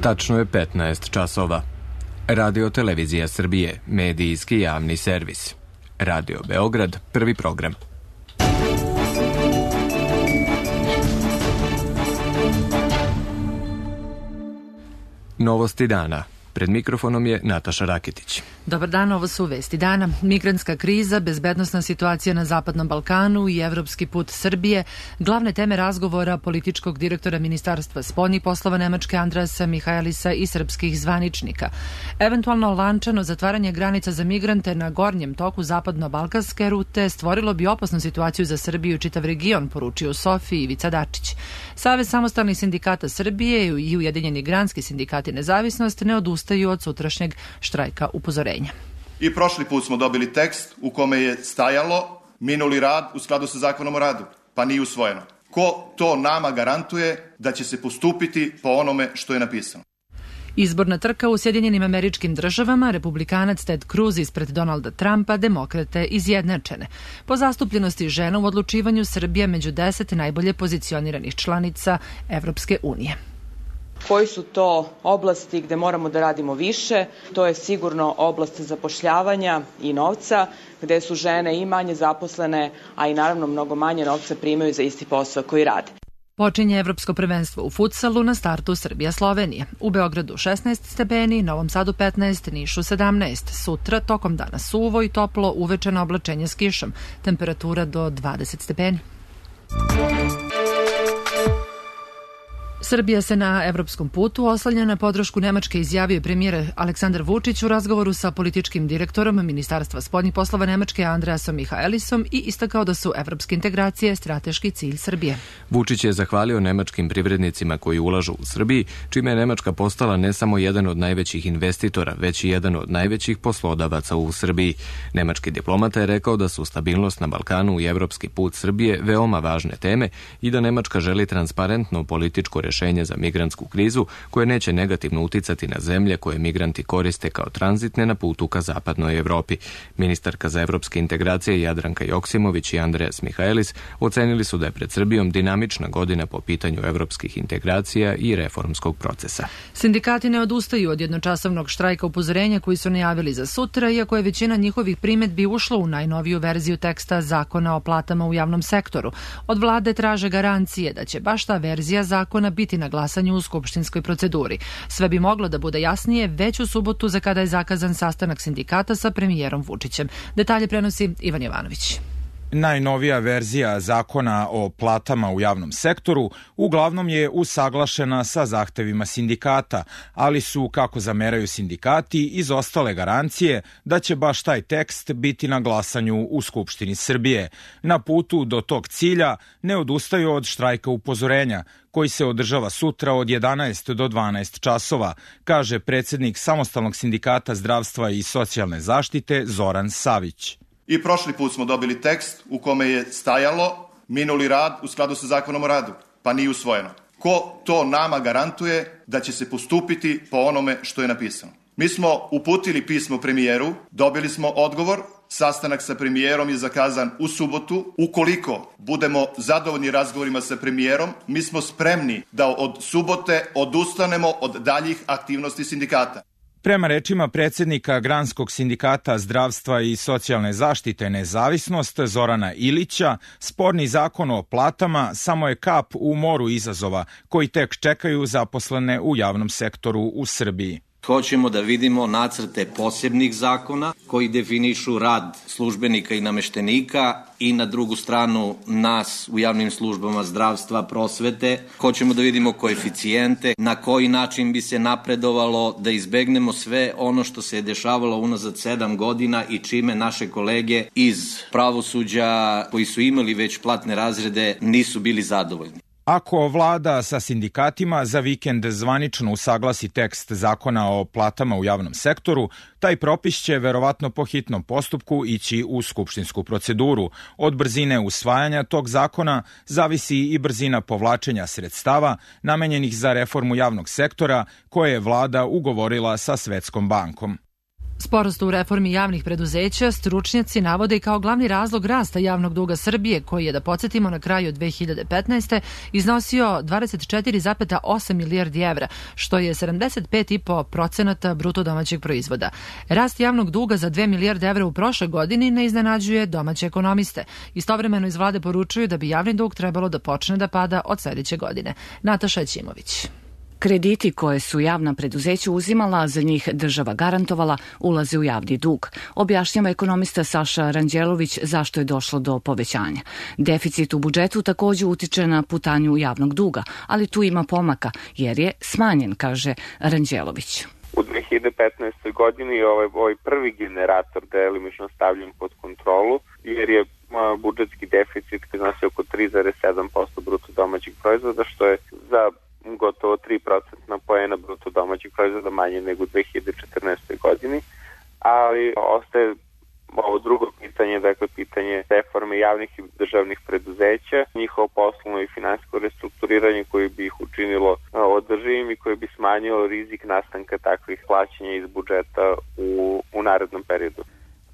Tačno je 15 časova. Radio Televizija Srbije, medijski javni servis. Radio Beograd, prvi program. Novosti dana. Pred mikrofonom je Nataša Raketić. Dobar dan, ovo su vesti dana. Migrantska kriza, bezbednosna situacija na Zapadnom Balkanu i evropski put Srbije, glavne teme razgovora političkog direktora Ministarstva spoljnih poslova Nemačke Andreasa Michaelisa i srpskih zvaničnika. Eventualno lančano zatvaranje granica za migrante na gornjem toku zapadno-balkanske rute stvorilo bi opasnu situaciju za Srbiju i čitav region, poručio u Sofiji Ivica Dačić. Savez samostalnih sindikata Srbije i Ujedinjeni granski sindikati Nezavisnost ne odustaju od sutrašnjeg štrajka upozorenja. I prošli put smo dobili tekst u kome je stajalo minuli rad u skladu sa zakonom o radu, pa nije usvojeno. Ko to nama garantuje da će se postupiti po onome što je napisano? Izborna trka u Sjedinjenim Američkim Državama, republikanac Ted Cruz ispred Donalda Trumpa, demokrate izjednačene. Po zastupljenosti žena u odlučivanju Srbija među 10 najbolje pozicioniranih članica Evropske unije. Koji su to oblasti gde moramo da radimo više? To je sigurno oblast zapošljavanja i novca, gde su žene i manje zaposlene, a i naravno mnogo manje novca primaju za isti posao koji rade. Počinje evropsko prvenstvo u futsalu na startu Srbija-Slovenija. U Beogradu 16 stepeni, Novom Sadu 15, Nišu 17. Sutra tokom dana suvo i toplo, uveče na oblačenje s kišom. Temperatura do 20 stepeni. Srbija se na evropskom putu oslanja na podršku Nemačke, izjavio premijer Aleksandar Vučić u razgovoru sa političkim direktorom Ministarstva spoljnih poslova Nemačke Andreasom Michaelisom i istakao da su evropske integracije strateški cilj Srbije. Vučić je zahvalio nemačkim privrednicima koji ulažu u Srbiji, čime je Nemačka postala ne samo jedan od najvećih investitora, već i jedan od najvećih poslodavaca u Srbiji. Nemački diplomata je rekao da su stabilnost na Balkanu i evropski put Srbije veoma važne teme i da Nemačka želi transparentno političko rešenje za migrantsku krizu koje neće negativno uticati na zemlje koje migranti koriste kao tranzitne na putu ka zapadnoj Evropi. Ministarka za evropske integracije Jadranka Joksimović i Andreas Michaelis ocenili su da je pred Srbijom dinamična godina po pitanju evropskih integracija i reformskog procesa. Sindikati ne odustaju od jednočasovnog štrajka upozorenja koji su najavili za sutra, iako je većina njihovih primedbi ušla u najnoviju verziju teksta Zakona o platama u javnom sektoru. Od vlade traže garancije da će baš ta verzija zakona biti na glasanju u skupštinskoj proceduri. Sve bi moglo da bude jasnije već u subotu za kada je zakazan sastanak sindikata sa premijerom Vučićem. Detalje prenosi Ivan Jovanović. Najnovija verzija zakona o platama u javnom sektoru uglavnom je usaglašena sa zahtevima sindikata, ali su, kako zameraju sindikati, izostale garancije da će baš taj tekst biti na glasanju u Skupštini Srbije. Na putu do tog cilja ne odustaju od štrajka upozorenja, koji se održava sutra od 11 do 12 časova, kaže predsjednik Samostalnog sindikata zdravstva i socijalne zaštite Zoran Savić. I prošli put smo dobili tekst u kome je stajalo minuli rad u skladu sa zakonom o radu, pa nije usvojeno. Ko to nama garantuje da će se postupiti po onome što je napisano? Mi smo uputili pismo premijeru, dobili smo odgovor, sastanak sa premijerom je zakazan u subotu. Ukoliko budemo zadovoljni razgovorima sa premijerom, mi smo spremni da od subote odustanemo od daljih aktivnosti sindikata. Prema rečima predsjednika Granskog sindikata zdravstva i socijalne zaštite Nezavisnost Zorana Ilića, sporni zakon o platama samo je kap u moru izazova koji tek čekaju zaposlene u javnom sektoru u Srbiji. Hoćemo da vidimo nacrte posebnih zakona koji definišu rad službenika i nameštenika i na drugu stranu nas u javnim službama zdravstva, prosvete. Hoćemo da vidimo koeficijente, na koji način bi se napredovalo, da izbegnemo sve ono što se je dešavalo unazad 7 godina i čime naše kolege iz pravosuđa koji su imali već platne razrede nisu bili zadovoljni. Ako vlada sa sindikatima za vikend zvanično usaglasi tekst zakona o platama u javnom sektoru, taj propis će verovatno po hitnom postupku ići u skupštinsku proceduru. Od brzine usvajanja tog zakona zavisi i brzina povlačenja sredstava namenjenih za reformu javnog sektora koje je vlada ugovorila sa Svetskom bankom. Sporost u reformi javnih preduzeća stručnjaci navode i kao glavni razlog rasta javnog duga Srbije, koji je, da podsjetimo, na kraju 2015. iznosio 24,8 milijardi evra, što je 75,5% bruto domaćeg proizvoda. Rast javnog duga za 2 milijarde evra u prošloj godini ne iznenađuje domaće ekonomiste. Istovremeno iz vlade poručuju da bi javni dug trebalo da počne da pada od sledeće godine. Nataša Ćimović. Krediti koje su javna preduzeća uzimala, za njih država garantovala, ulaze u javni dug. Objašnjava ekonomista Saša Ranđelović zašto je došlo do povećanja. Deficit u budžetu takođe utiče na putanju javnog duga, ali tu ima pomaka jer je smanjen, kaže Ranđelović. U 2015. godini ovaj prvi generator delimično stavljen pod kontrolu jer je budžetski deficit iznosi oko 3,7% bruto domaćeg proizvoda, što je za gotovo 3% poena bruto domaćeg proizvoda manje nego u 2014. godini, ali ostaje ovo drugo pitanje, dakle pitanje reforme javnih i državnih preduzeća, njihovo poslovno i finansijsko restrukturiranje koje bi ih učinilo održivim i koje bi smanjilo rizik nastanka takvih plaćanja iz budžeta u narednom periodu.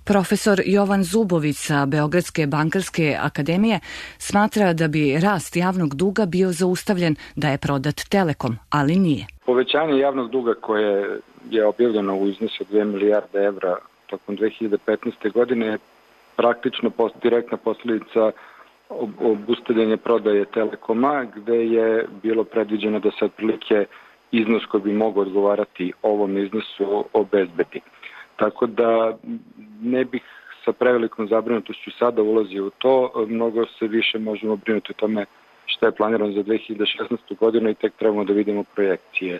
Profesor Jovan Zubović sa Beogradske bankarske akademije smatra da bi rast javnog duga bio zaustavljen da je prodat Telekom, ali nije. Povećanje javnog duga koje je objavljeno u iznosu 2 milijarde evra tokom 2015. godine je praktično direktna posljedica obustavljanja prodaje Telekoma, gde je bilo predviđeno da se otprilike iznos koji bi mogao odgovarati ovom iznosu obezbedi. Tako da ne bih sa prevelikom zabrinutošću sada ulazio u to, mnogo se više možemo brinuti o tome šta je planirano za 2016. godinu i tek trebamo da vidimo projekcije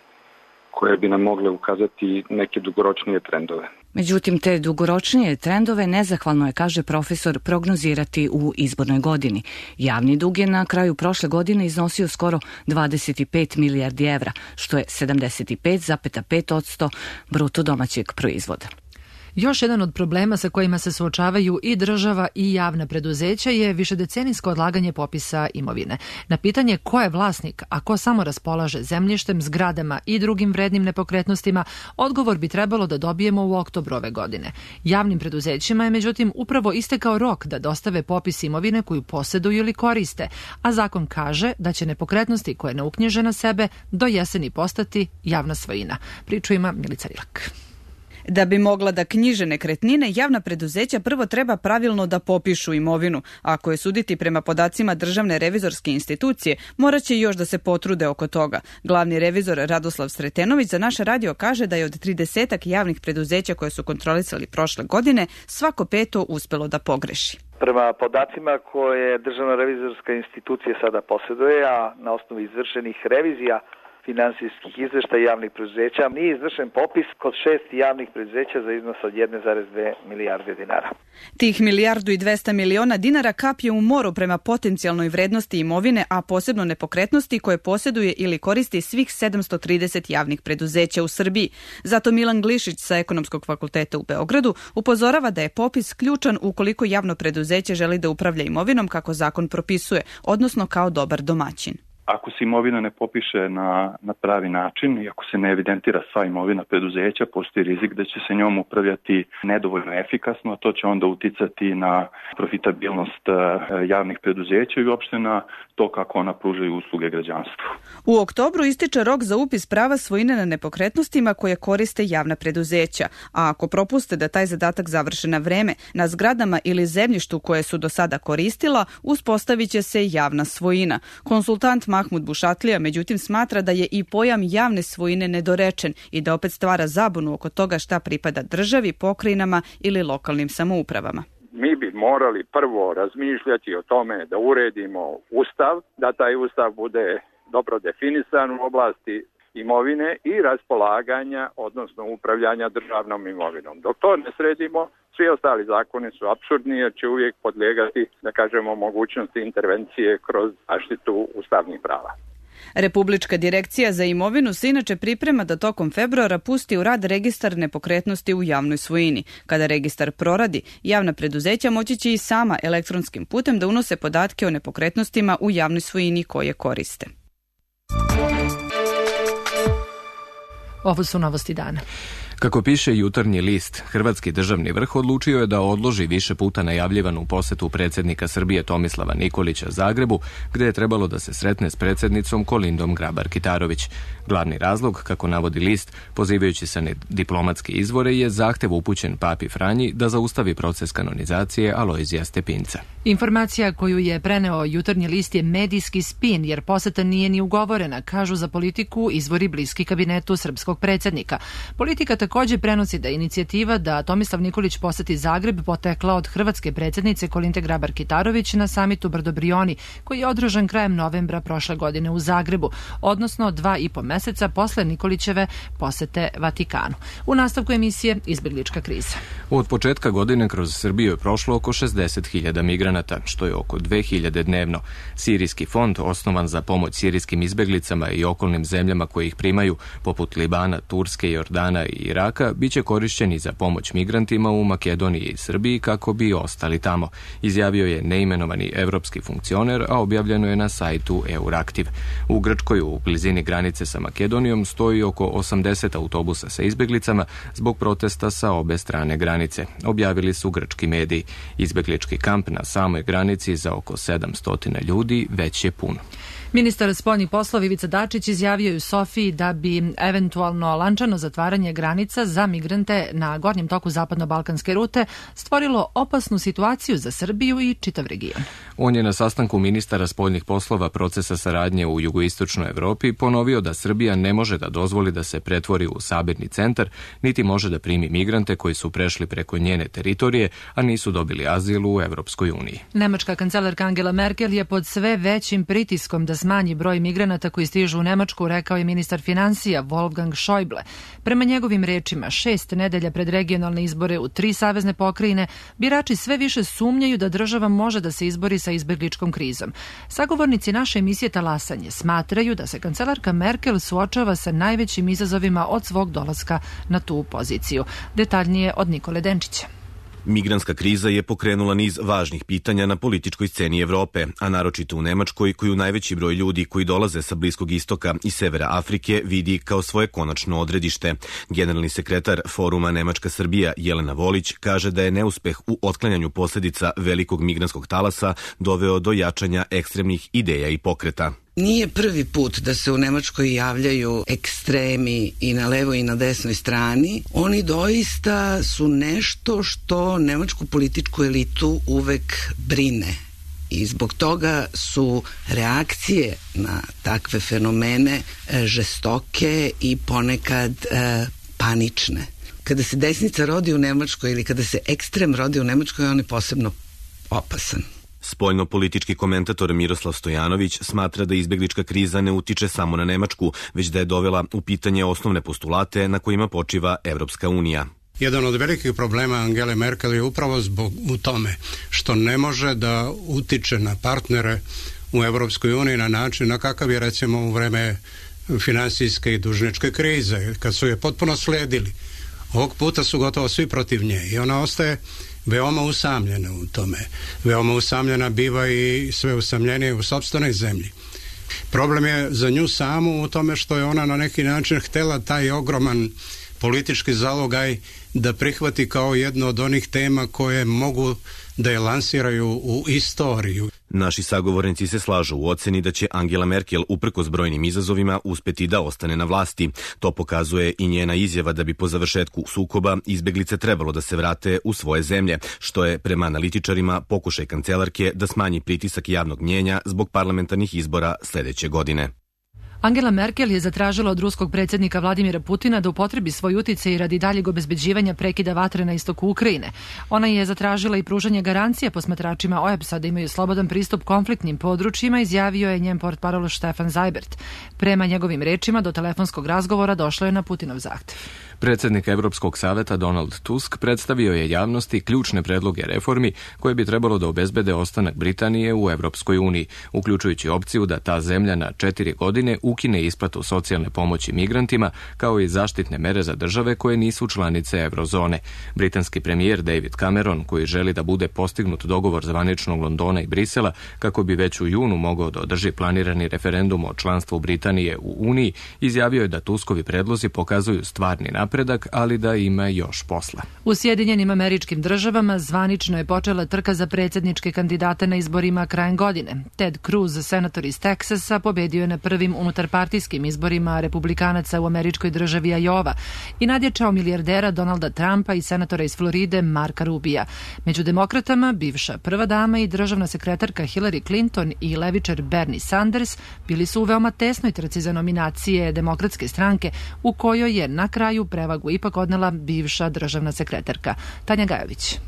koje bi nam mogle ukazati neke dugoročnije trendove. Međutim, te dugoročnije trendove nezahvalno je, kaže profesor, prognozirati u izbornoj godini. Javni dug je na kraju prošle godine iznosio skoro 25 milijardi evra, što je 75,5% bruto domaćeg proizvoda. Još jedan od problema sa kojima se suočavaju i država i javna preduzeća je višedecenijsko odlaganje popisa imovine. Na pitanje ko je vlasnik, a ko samo raspolaže zemljištem, zgradama i drugim vrednim nepokretnostima, odgovor bi trebalo da dobijemo u oktobru ove godine. Javnim preduzećima je međutim upravo istekao rok da dostave popis imovine koju poseduju ili koriste, a zakon kaže da će nepokretnosti koje ne uknjiže na sebe do jeseni postati javna svojina. Priču ima Milica Rilak. Da bi mogla da knjiže nekretnine, javna preduzeća prvo treba pravilno da popišu imovinu. Ako je suditi prema podacima Državne revizorske institucije, morat će još da se potrude oko toga. Glavni revizor Radoslav Sretenović za naš radio kaže da je od 30 javnih preduzeća koje su kontrolisali prošle godine, svako peto uspelo da pogreši. Prema podacima koje Državna revizorska institucija sada posjeduje, a na osnovu izvršenih revizija finansijskih izveštaja javnih preduzeća, nije izvršen popis kod 6 javnih preduzeća za iznos od 1,2 milijarde dinara. Tih 1,2 milijarde dinara kap je u moru prema potencijalnoj vrednosti imovine, a posebno nepokretnosti koje posjeduje ili koristi svih 730 javnih preduzeća u Srbiji. Zato Milan Glišić sa Ekonomskog fakulteta u Beogradu upozorava da je popis ključan ukoliko javno preduzeće želi da upravlja imovinom kako zakon propisuje, odnosno kao dobar domaćin. Ako se imovina ne popiše na pravi način i ako se ne evidentira sva imovina preduzeća, postoji rizik da će se njom upravljati nedovoljno efikasno, a to će onda uticati na profitabilnost javnih preduzeća i uopšte na to kako ona pružaju usluge građanstvu. U oktobru ističe rok za upis prava svojine na nepokretnostima koje koriste javna preduzeća, a ako propuste da taj zadatak završe na vreme, na zgradama ili zemljištu koje su do sada koristila, uspostavit će se javna svojina. Konsultant Mahmud Bušatlija međutim smatra da je i pojam javne svojine nedorečen i da opet stvara zabunu oko toga šta pripada državi, pokrajinama ili lokalnim samoupravama. Mi bi morali prvo razmišljati o tome da uredimo ustav, da taj ustav bude dobro definisan u oblasti imovine i raspolaganja, odnosno upravljanja državnom imovinom. Dok to ne sredimo, svi ostali zakoni su apsurdni jer će uvijek podlijegati, da kažemo, mogućnosti intervencije kroz zaštitu ustavnih prava. Republička direkcija za imovinu se inače priprema da tokom februara pusti u rad registar nepokretnosti u javnoj svojini. Kada registar proradi, javna preduzeća moći će i sama elektronskim putem da unose podatke o nepokretnostima u javnoj svojini koje koriste. Ovo su novosti dana. Kako piše Jutarnji list, hrvatski državni vrh odlučio je da odloži više puta najavljivanu posetu predsjednika Srbije Tomislava Nikolića Zagrebu, gde je trebalo da se sretne s predsjednicom Kolindom Grabar-Kitarović. Glavni razlog, kako navodi list, pozivajući se na diplomatske izvore, je zahtev upućen Papi Franji da zaustavi proces kanonizacije Alojzija Stepinca. Informacija koju je preneo Jutarnji list je medijski spin, jer poseta nije ni ugovorena, kažu za Politiku izvori bliski kabinetu srpskog predsjednika. Politika također prenosi da je inicijativa da Tomislav Nikolić poseti Zagreb potekla od hrvatske predsjednice Kolinde Grabar-Kitarović na samitu Brdobrioni, koji je održan krajem novembra prošle godine u Zagrebu, odnosno 2,5 meseca posle Nikolićeve posete Vatikanu. U nastavku emisije Izbeglička kriza. Od početka godine kroz Srbiju je prošlo oko 60.000 migranata, što je oko 2.000 dnevno. Sirijski fond, osnovan za pomoć sirijskim izbeglicama i okolnim zemljama koje ih primaju, poput Libana, Turske, Jordana i Iraka, bit će korišćeni za pomoć migrantima u Makedoniji i Srbiji kako bi ostali tamo, izjavio je neimenovani evropski funkcioner, a objavljeno je na sajtu Euraktiv. U Grčkoj, u blizini granice sa Makedonijom, stoji oko 80 autobusa sa izbeglicama zbog protesta sa obe strane granice, objavili su grčki mediji. Izbeglički kamp na samoj granici za oko 700 ljudi već je pun. Ministar spoljnih poslova Ivica Dačić izjavio je u Sofiji da bi eventualno lančano zatvaranje granica za migrante na gornjem toku zapadno-balkanske rute stvorilo opasnu situaciju za Srbiju i čitav region. On je na sastanku ministara spoljnih poslova procesa saradnje u jugoistočnoj Evropi ponovio da Srbija ne može da dozvoli da se pretvori u sabirni centar, niti može da primi migrante koji su prešli preko njene teritorije, a nisu dobili azil u Evropskoj uniji. Nemačka kancelarka Angela Merkel je pod sve većim pritiskom da smanji broj migranata koji stižu u Nemačku, rekao je ministar finansija Wolfgang Schäuble. Prema njegovim rečima, 6 nedelja pred regionalne izbore u 3 savezne pokrajine, birači sve više sumnjaju da država može da se izbori sa izbegličkom krizom. Sagovornici naše emisije Talasanje smatraju da se kancelarka Merkel suočava sa najvećim izazovima od svog dolaska na tu poziciju. Detaljnije od Nikole Denčića. Migrantska kriza je pokrenula niz važnih pitanja na političkoj sceni Evrope, a naročito u Nemačkoj, koju najveći broj ljudi koji dolaze sa Bliskog istoka i severa Afrike vidi kao svoje konačno odredište. Generalni sekretar Foruma Nemačka Srbija Jelena Volić kaže da je neuspeh u otklanjanju posljedica velikog migrantskog talasa doveo do jačanja ekstremnih ideja i pokreta. Nije prvi put da se u Nemačkoj javljaju ekstremi i na levoj i na desnoj strani. Oni doista su nešto što nemačku političku elitu uvek brine. I zbog toga su reakcije na takve fenomene žestoke i ponekad panične. Kada se desnica rodi u Nemačkoj ili kada se ekstrem rodi u Nemačkoj, on je posebno opasan. Spoljno-politički komentator Miroslav Stojanović smatra da izbeglička kriza ne utiče samo na Nemačku, već da je dovela u pitanje osnovne postulate na kojima počiva Evropska unija. Jedan od velikih problema Angele Merkel je upravo u tome što ne može da utiče na partnere u Evropskoj uniji na način na kakav je recimo u vreme finansijske i dužničke krize, kad su je potpuno sledili. Ovog puta su gotovo svi protiv nje i ona ostaje veoma usamljena u tome. Veoma usamljena biva i sve usamljenije u sopstvenoj zemlji. Problem je za nju samu u tome što je ona na neki način htela taj ogroman politički zalogaj da prihvati kao jedno od onih tema koje mogu da je lansiraju u istoriju. Naši sagovornici se slažu u oceni da će Angela Merkel uprkos brojnim izazovima uspeti da ostane na vlasti. To pokazuje i njena izjava da bi po završetku sukoba izbeglice trebalo da se vrate u svoje zemlje, što je prema analitičarima pokušaj kancelarke da smanji pritisak javnog mnjenja zbog parlamentarnih izbora sledeće godine. Angela Merkel je zatražila od ruskog predsjednika Vladimira Putina da upotrebi svoj uticaj radi daljeg obezbeđivanja prekida vatre na istoku Ukrajine. Ona je zatražila i pružanje garancija posmatračima OEBS-a da imaju slobodan pristup konfliktnim područjima, izjavio je njen portparol Stefan Seibert. Prema njegovim rečima, do telefonskog razgovora došlo je na Putinov zahtev. Predsjednik Evropskog saveta Donald Tusk predstavio je javnosti ključne predloge reformi koje bi trebalo da obezbede ostanak Britanije u Evropskoj uniji, uključujući opciju da ta zemlja na 4 godine ukine isplatu socijalne pomoći migrantima, kao i zaštitne mere za države koje nisu članice eurozone. Britanski premijer David Cameron, koji želi da bude postignut dogovor zvaničnog Londona i Brisela kako bi već u junu mogao da održi planirani referendum o članstvu Britanije u Uniji, izjavio je da Tuskovi predlozi pokazuju stvarni napredak napredak, ali da ima još posla. U Sjedinjenim Američkim Državama zvanično je počela trka za predsjedničke kandidate na izborima krajem godine. Ted Cruz, senator iz Teksasa, pobedio je na prvim unutarpartijskim izborima republikanaca u američkoj državi Iowa i nadjačao milijardera Donalda Trumpa i senatora iz Floride Marka Rubija. Među demokratama bivša prva dama i državna sekretarka Hillary Clinton i levičar Bernie Sanders bili su u veoma tesnoj trci za nominacije Demokratske stranke, u kojoj je na kraju prevagu ipak odnela bivša državna sekretarka. Tanja Gajović.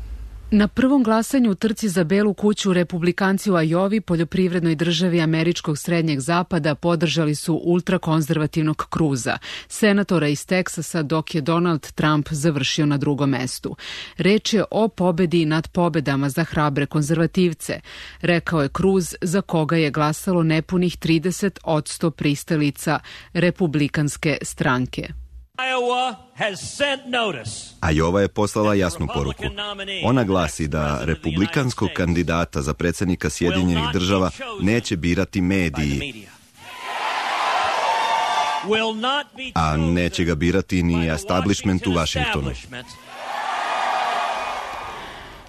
Na prvom glasanju u trci za Belu kuću republikanci u Ajovi, poljoprivrednoj državi američkog srednjeg zapada, podržali su ultrakonzervativnog Cruza, senatora iz Teksasa, dok je Donald Trump završio na drugom mestu. Reč je o pobedi nad pobedama za hrabre konzervativce, rekao je Cruz, za koga je glasalo nepunih 30% pristalica republikanske stranke. Iowa je poslala jasnu poruku. Ona glasi da republikanskog kandidata za predsjednika Sjedinjenih država neće birati mediji, a neće ga birati ni establishment u Washingtonu.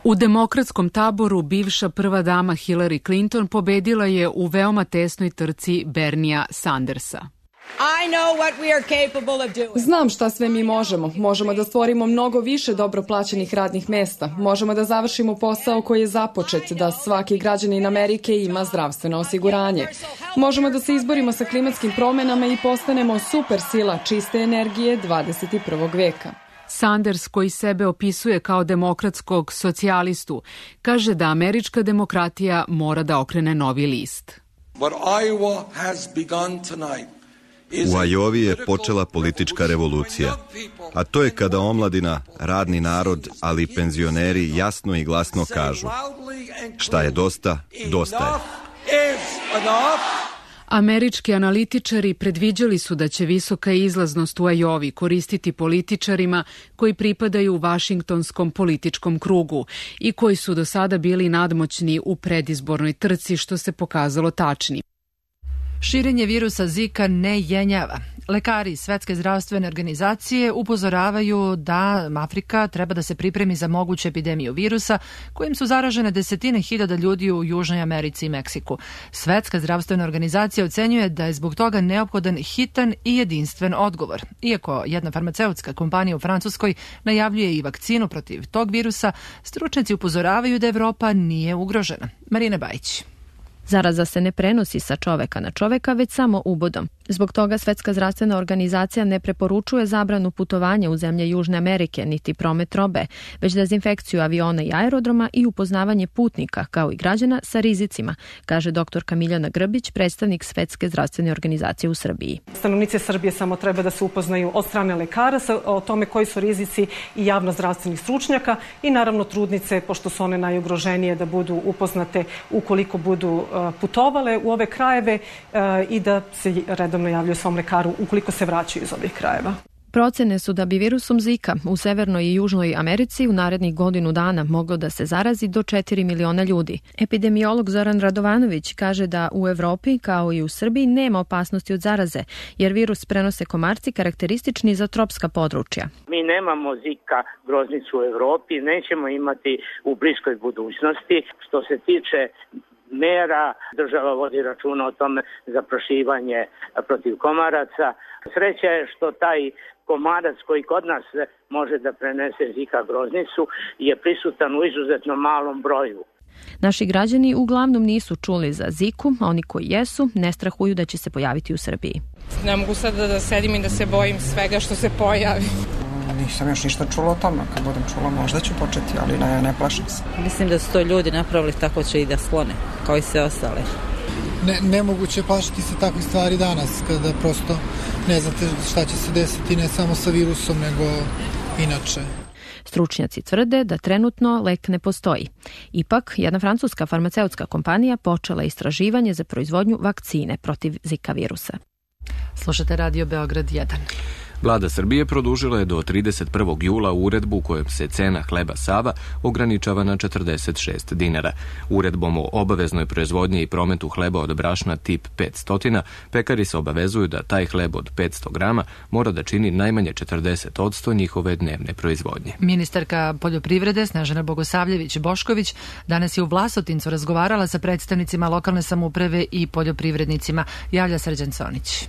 U demokratskom taboru bivša prva dama Hillary Clinton pobedila je u veoma tesnoj trci Bernia Sandersa. Znam šta sve mi možemo. Možemo da stvorimo mnogo više dobro plaćenih radnih mesta. Možemo da završimo posao koji je započet, da svaki građanin Amerike ima zdravstveno osiguranje. Možemo da se izborimo sa klimatskim promenama i postanemo super sila čiste energije 21. veka. Sanders, koji sebe opisuje kao demokratskog socijalistu, kaže da američka demokratija mora da okrene novi list. U Iowi je počela politička revolucija, a to je kada omladina, radni narod, ali i penzioneri jasno i glasno kažu: šta je dosta, dosta je. Američki analitičari predviđali su da će visoka izlaznost u Iowi koristiti političarima koji pripadaju vašingtonskom političkom krugu i koji su do sada bili nadmoćni u predizbornoj trci, što se pokazalo tačnim. Širenje virusa Zika ne jenjava. Lekari Svetske zdravstvene organizacije upozoravaju da Afrika treba da se pripremi za moguću epidemiju virusa kojim su zaražene desetine hiljada ljudi u Južnoj Americi i Meksiku. Svetska zdravstvena organizacija ocenjuje da je zbog toga neophodan hitan i jedinstven odgovor. Iako jedna farmaceutska kompanija u Francuskoj najavljuje i vakcinu protiv tog virusa, stručnjaci upozoravaju da Evropa nije ugrožena. Marina Bajić. Zaraza se ne prenosi sa čoveka na čoveka, već samo ubodom. Zbog toga Svetska zdravstvena organizacija ne preporučuje zabranu putovanja u zemlje Južne Amerike, niti promet robe, već dezinfekciju aviona i aerodroma i upoznavanje putnika, kao i građana, sa rizicima, kaže doktorka Miljana Grbić, predstavnik Svetske zdravstvene organizacije u Srbiji. Stanovnici Srbije samo treba da se upoznaju od strane lekara o tome koji su rizici i javno-zdravstvenih stručnjaka i naravno trudnice, pošto su one najugroženije, da budu upoznate ukoliko budu putovale u ove krajeve i da se redovno javljaju svom lekaru ukoliko se vraćaju iz ovih krajeva. Procene su da bi virusom Zika u Severnoj i Južnoj Americi u narednih godinu dana moglo da se zarazi do 4 miliona ljudi. Epidemiolog Zoran Radovanović kaže da u Evropi, kao i u Srbiji, nema opasnosti od zaraze, jer virus prenose komarci karakteristični za tropska područja. Mi nemamo Zika groznicu u Evropi, nećemo imati u bliskoj budućnosti. Što se tiče mera, država vodi računa o tome za prošivanje protiv komaraca. Sreća je što taj komarac koji kod nas može da prenese Zika groznicu je prisutan u izuzetno malom broju. Naši građani uglavnom nisu čuli za Ziku, a oni koji jesu ne strahuju da će se pojaviti u Srbiji. Ne mogu sad da sedim i da se bojim svega što se pojavi. Nisam još ništa čula o tome, kad budem čula možda ću početi, ali ne plašim se. Mislim da su to ljudi napravili, tako će i da sklone, kao i sve ostale. Nemoguće plašiti se takvih stvari danas, kada prosto ne znate šta će se desiti ne samo sa virusom, nego inače. Stručnjaci tvrde da trenutno lek ne postoji. Ipak, jedna francuska farmaceutska kompanija počela istraživanje za proizvodnju vakcine protiv Zika virusa. Slušate Radio Beograd 1. Vlada Srbije produžila je do 31. jula uredbu kojom se cena hleba Sava ograničava na 46 dinara. Uredbom o obaveznoj proizvodnji i prometu hleba od brašna tip 500, pekari se obavezuju da taj hleb od 500 grama mora da čini najmanje 40% njihove dnevne proizvodnje. Ministarka poljoprivrede Snežana Bogosavljević-Bošković danas je u Vlasotincu razgovarala sa predstavnicima lokalne samouprave i poljoprivrednicima. Javlja Srđan Conić.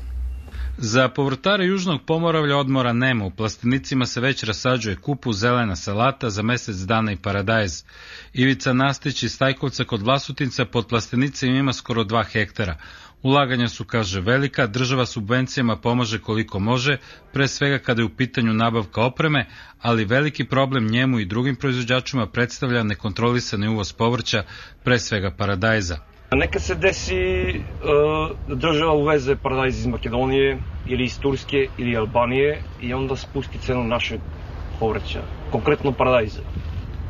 Za povrtare Južnog Pomoravlja odmora nema. U plastenicima se već rasađuje kupus, zelena salata, za mesec dana i paradajz. Ivica Nastić iz Stajkovca kod Vlasotinca pod plastenicima ima skoro 2 hektara. Ulaganja su, kaže, velika, država subvencijama pomaže koliko može, pre svega kada je u pitanju nabavka opreme, ali veliki problem njemu i drugim proizvođačima predstavlja nekontrolisani uvoz povrća, pre svega paradajza. Neka se desi da država uveze paradajz iz Makedonije ili iz Turske ili Albanije i onda spusti cenu našeg povrća, konkretno paradajza.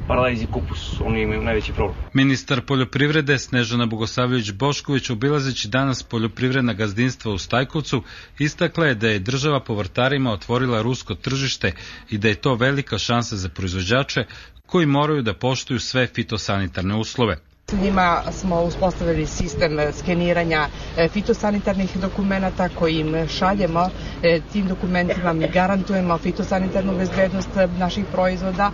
Paradajz i kupus, oni imaju najveći problem. Ministar poljoprivrede Snežana Bogosavljević-Bošković, obilazeći danas poljoprivredna gazdinstva u Stajkovcu, istakla je da je država povrtarima otvorila rusko tržište i da je to velika šansa za proizvođače koji moraju da poštuju sve fitosanitarne uslove. Njima smo uspostavili sistem skeniranja fitosanitarnih dokumenata koji im šaljemo. Tim dokumentima mi garantujemo fitosanitarnu bezbednost naših proizvoda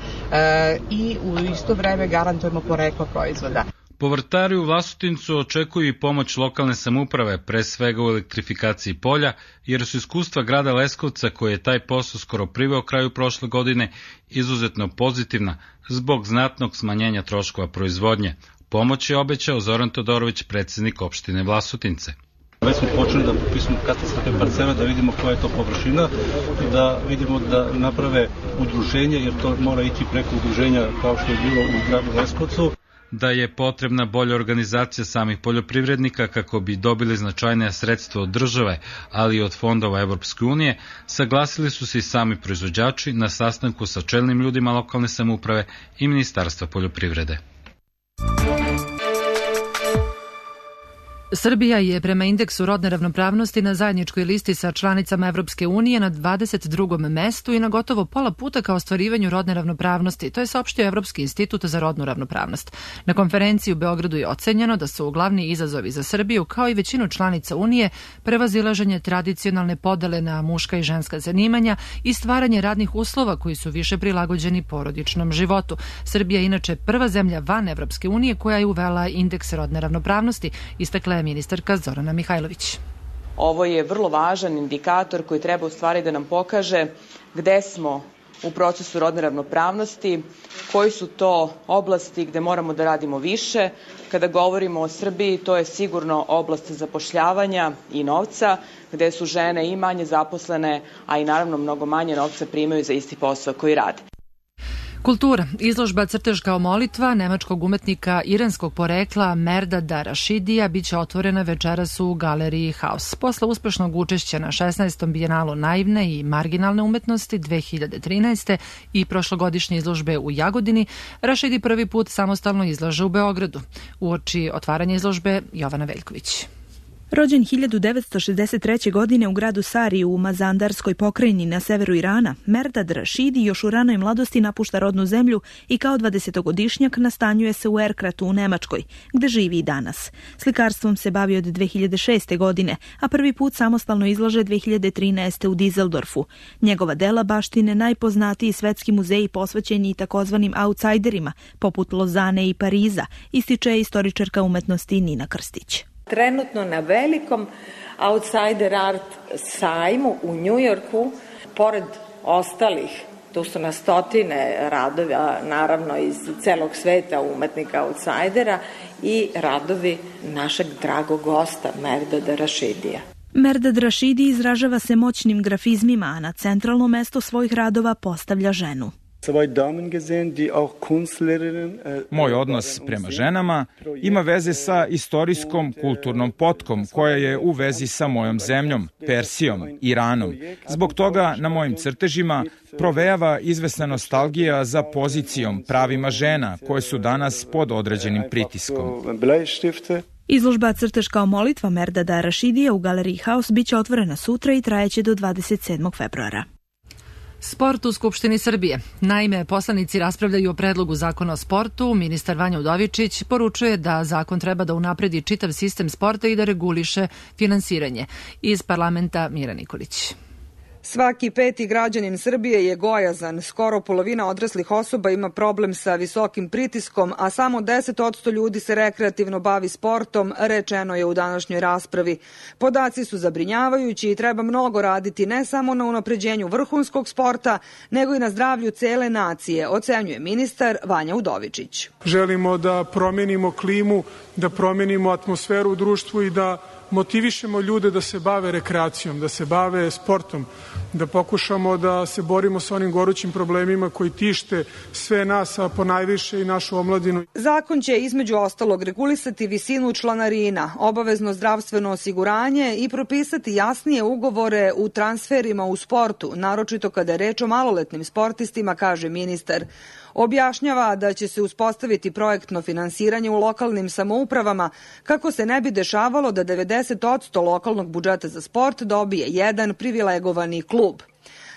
i u isto vreme garantujemo poreklo proizvoda. Povrtari u Vlasotincu očekuju i pomoć lokalne samouprave, pre svega u elektrifikaciji polja, jer su iskustva grada Leskovca, koji je taj posao skoro priveo kraju prošle godine, izuzetno pozitivna zbog znatnog smanjenja troškova proizvodnje. Pomoć je obećao Zoran Todorović, predsjednik opštine Vlasotince. Već smo počeli da popisamo katastarske parcele, da vidimo koja je to površina i da vidimo da naprave udruženje, jer to mora ići preko udruženja kao što je bilo u gradu Leskovcu. Da je potrebna bolja organizacija samih poljoprivrednika kako bi dobili značajnija sredstva od države, ali i od fondova Evropske unije, saglasili su se i sami proizvođači na sastanku sa čelnim ljudima lokalne samouprave i Ministarstva poljoprivrede. Srbija je prema indeksu rodne ravnopravnosti na zajedničkoj listi sa članicama Evropske unije na 22. mestu i na gotovo pola puta ka ostvarivanju rodne ravnopravnosti. To je saopštio Evropski institut za rodnu ravnopravnost. Na konferenciji u Beogradu je ocenjeno da su glavni izazovi za Srbiju, kao i većinu članica Unije, prevazilaženje tradicionalne podele na muška i ženska zanimanja i stvaranje radnih uslova koji su više prilagođeni porodičnom životu. Srbija je inače prva zemlja van Evropske unije koja je uvela indeks rodne ravnopravnosti, istakla je ministarka Zorana Mihajlović. Ovo je vrlo važan indikator koji treba u stvari da nam pokaže gde smo u procesu rodne ravnopravnosti, koji su to oblasti gde moramo da radimo više. Kada govorimo o Srbiji, to je sigurno oblast zapošljavanja i novca, gde su žene i manje zaposlene, a i naravno mnogo manje novca primaju za isti posao koji rade. Kultura. Izložba Crtež kao molitva nemačkog umetnika iranskog porekla Merdada Rašidija biće otvorena večeras u galeriji Haus. Posle uspešnog učešća na 16. bijenalu naivne i marginalne umetnosti 2013. i prošlogodišnje izložbe u Jagodini, Rašidi prvi put samostalno izlaže u Beogradu. Uoči otvaranja izložbe Jovana Veljković. Rođen 1963. godine u gradu Sariju u Mazandarskoj pokrajini na severu Irana, Merdad Rašidi još u ranoj mladosti napušta rodnu zemlju i kao 20-godišnjak nastanjuje se u Erkratu u Nemačkoj, gde živi i danas. Slikarstvom se bavi od 2006. godine, a prvi put samostalno izlaže 2013. u Dizeldorfu. Njegova dela baštine najpoznatiji svetski muzeji posvećeni takozvanim outsiderima, poput Lozane i Pariza, ističe istoričarka umetnosti Nina Krstić. Trenutno na velikom outsider art sajmu u Njujorku, pored ostalih, tu su na stotine radova, naravno iz celog sveta umetnika outsidera i radovi našeg dragog gosta Merdada Rašidija. Merdad Rašidi izražava se moćnim grafizmima, a na centralno mesto svojih radova postavlja ženu. Moj odnos prema ženama ima veze sa istorijskom kulturnom potkom koja je u vezi sa mojom zemljom, Persijom, Iranom. Zbog toga na mojim crtežima provejava izvesna nostalgija za pozicijom, pravima žena koje su danas pod određenim pritiskom. Izložba Crtež kao molitva Merdada Rašidija u galeriji Haus biće otvorena sutra i trajeće do 27. februara. Sport u Skupštini Srbije. Naime, poslanici raspravljaju o predlogu zakona o sportu. Ministar Vanja Udovičić poručuje da zakon treba da unapredi čitav sistem sporta i da reguliše finansiranje. Iz parlamenta Mira Nikolić. Svaki peti građanin Srbije je gojazan. Skoro polovina odraslih osoba ima problem sa visokim pritiskom, a samo 10% ljudi se rekreativno bavi sportom, rečeno je u današnjoj raspravi. Podaci su zabrinjavajući i treba mnogo raditi ne samo na unapređenju vrhunskog sporta, nego i na zdravlju cele nacije, ocenjuje ministar Vanja Udovičić. Želimo da promenimo klimu, da promenimo atmosferu u društvu i da motivišemo ljude da se bave rekreacijom, da se bave sportom, da pokušamo da se borimo sa onim gorućim problemima koji tište sve nas, a ponajviše i našu omladinu. Zakon će između ostalog regulisati visinu članarina, obavezno zdravstveno osiguranje i propisati jasnije ugovore u transferima u sportu, naročito kada je reč o maloletnim sportistima, kaže ministar. Objašnjava da će se uspostaviti projektno finansiranje u lokalnim samoupravama kako se ne bi dešavalo da 90% lokalnog budžeta za sport dobije jedan privilegovani klub.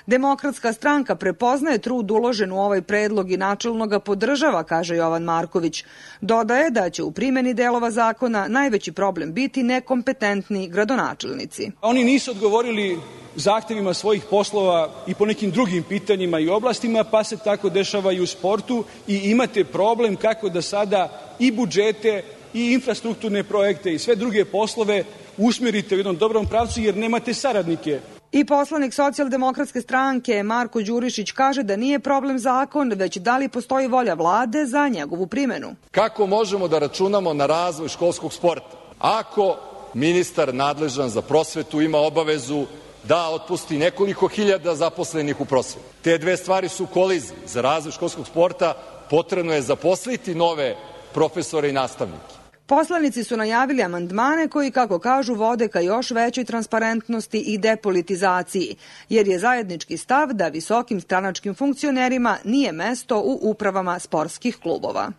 Demokratska stranka prepoznaje trud uložen u ovaj predlog i načelno ga podržava, kaže Jovan Marković. Dodaje da će u primjeni delova zakona najveći problem biti nekompetentni gradonačelnici. Oni nisu odgovorili zahtevima svojih poslova i po nekim drugim pitanjima i oblastima, pa se tako dešava i u sportu i imate problem kako da sada i budžete i infrastrukturne projekte i sve druge poslove usmjerite u jednom dobrom pravcu jer nemate saradnike. I poslanik Socijaldemokratske stranke Marko Đurišić kaže da nije problem zakon, već da li postoji volja vlade za njegovu primjenu. Kako možemo da računamo na razvoj školskog sporta ako ministar nadležan za prosvetu ima obavezu da otpusti nekoliko hiljada zaposlenih u prosveti? Te dve stvari su u koliziji. Za razvoj školskog sporta potrebno je zaposliti nove profesore i nastavnike. Poslanici su najavili amandmane koji, kako kažu, vode ka još većoj transparentnosti i depolitizaciji, jer je zajednički stav da visokim stranačkim funkcionerima nije mesto u upravama sportskih klubova.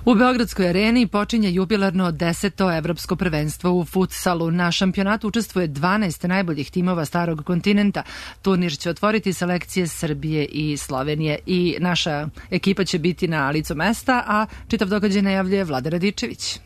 U Beogradskoj areni počinje jubilarno 10. evropsko prvenstvo u futsalu. Na šampionatu učestvuje 12 najboljih timova starog kontinenta. Turnir će otvoriti selekcije Srbije i Slovenije i naša ekipa će biti na licu mesta, a čitav događaj najavljuje Vlada Radičević.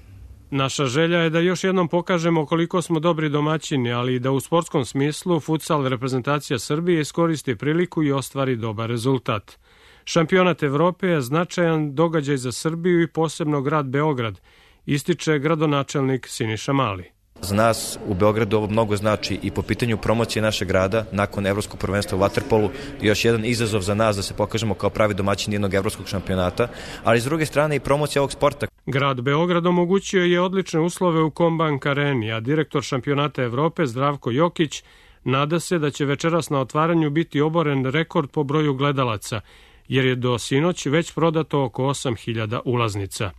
Naša želja je da još jednom pokažemo koliko smo dobri domaćini, ali i da u sportskom smislu futsal reprezentacija Srbije iskoristi priliku i ostvari dobar rezultat. Šampionat Evrope je značajan događaj za Srbiju i posebno grad Beograd, ističe gradonačelnik Siniša Mali. Za nas u Beogradu ovo mnogo znači i po pitanju promocije našeg grada nakon evropskog prvenstva u vaterpolu, još jedan izazov za nas da se pokažemo kao pravi domaćin jednog evropskog šampionata, ali s druge strane i promocija ovog sporta. Grad Beograd omogućio je odlične uslove u Kombank areni, a direktor šampionata Evrope Zdravko Jokić nada se da će večeras na otvaranju biti oboren rekord po broju gledalaca, jer je do sinoć već prodato oko 8.000 ulaznica.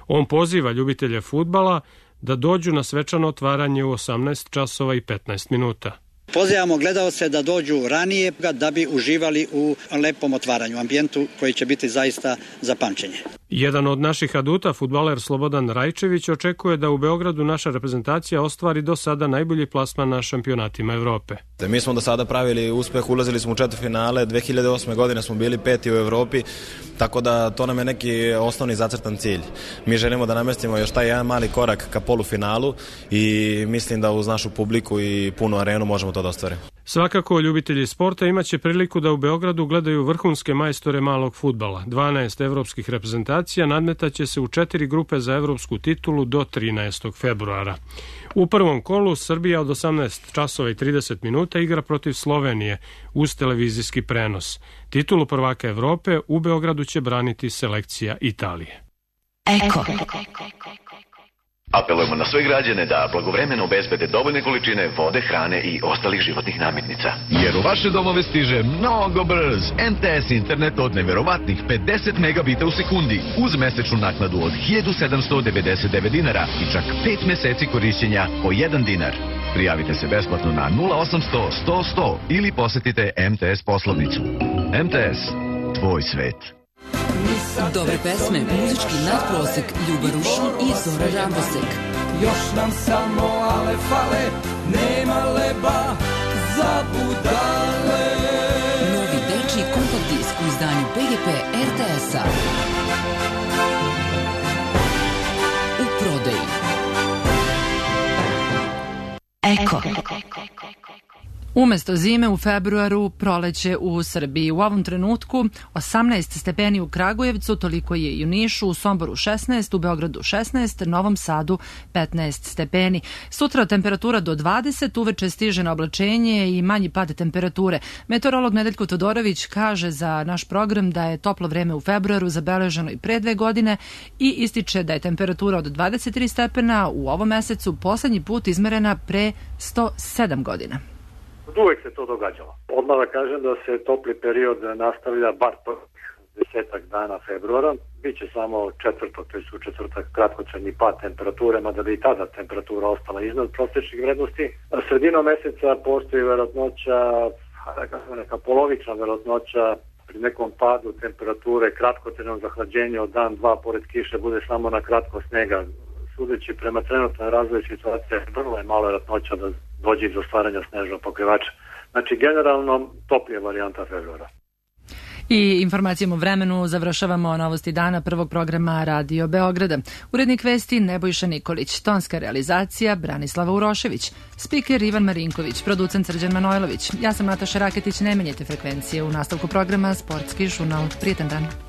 On poziva ljubitelje fudbala da dođu na svečano otvaranje u 18 časova i 15 minuta. Pozivamo gledaoce da dođu ranije da bi uživali u lepom otvaranju, ambijentu koji će biti zaista za pamćenje. Jedan od naših aduta, fudbaler Slobodan Rajčević, očekuje da u Beogradu naša reprezentacija ostvari do sada najbolji plasman na šampionatima Evrope. Mi smo do sada pravili uspeh, ulazili smo u četvrtfinale, 2008. godine smo bili 5. u Evropi, tako da to nam je neki osnovni zacrtan cilj. Mi želimo da namestimo još taj jedan mali korak ka polufinalu i mislim da uz našu publiku i punu arenu možemo to da ostvarimo. Svakako, ljubitelji sporta imaće priliku da u Beogradu gledaju vrhunske majstore malog fudbala. 12 evropskih reprezentacija nadmetaće se u 4 grupe za evropsku titulu do 13. februara. U prvom kolu Srbija od 18 časova i 30 minuta igra protiv Slovenije uz televizijski prenos. Titulu prvaka Evrope u Beogradu će braniti selekcija Italije. Eko. Apelujemo na sve građane da blagovremeno obezbede dovoljne količine vode, hrane i ostalih životnih namirnica. Jer u vaše domove stiže mnogo brz MTS internet od neverovatnih 50 megabita u sekundi uz mesečnu naknadu od 1799 dinara i čak 5 meseci korišćenja po 1 dinar. Prijavite se besplatno na 0800 100 100 ili posetite MTS poslovnicu. MTS, tvoj svet. Dobre pesme, muzički nadprosek, Ljuba Rušin i Zora Rambosek. Još nam samo ale fale, nema leba za budale. Novi Eko. Umesto zime u februaru, proleće u Srbiji. U ovom trenutku 18 stepeni u Kragujevcu, toliko je i u Nišu, u Somboru 16, u Beogradu 16, Novom Sadu 15 stepeni. Sutra temperatura do 20, uveče stiže na oblačenje i manji pad temperature. Meteorolog Nedeljko Todorović kaže za naš program da je toplo vreme u februaru zabeleženo i pre 2 godine i ističe da je temperatura od 23 stepena u ovom mesecu poslednji put izmerena pre 107 godina. Uvek se to događalo. Odmah da kažem da se topli period nastavlja bar 10 dana februara. Biće samo četvrtak, to je u četvrtak kratkotrajni pad temperature, mada bi i tada temperatura ostala iznad prosječnih vrednosti. Sredinom meseca postoji verovatnoća, neka polovična verovatnoća pri nekom padu temperature, kratkotrajnom zahlađenju od dan, dva, pored kiše, bude samo na kratko snega. Sudeći prema trenutnoj razvoju situacije, vrlo je malo verovatnoća da dođe do stvaranja snežnog pokrivača. Znači, generalno, toplija varijanta februara. I informacijom o vremenu završavamo novosti dana prvog programa Radio Beograda. Urednik vesti Nebojša Nikolić, tonska realizacija Branislava Urošević, spiker Ivan Marinković, producent Srđan Manojlović. Ja sam Nataša Raketić, ne menjajte frekvencije u nastavku programa Sportski žurnal. Prijetan dan.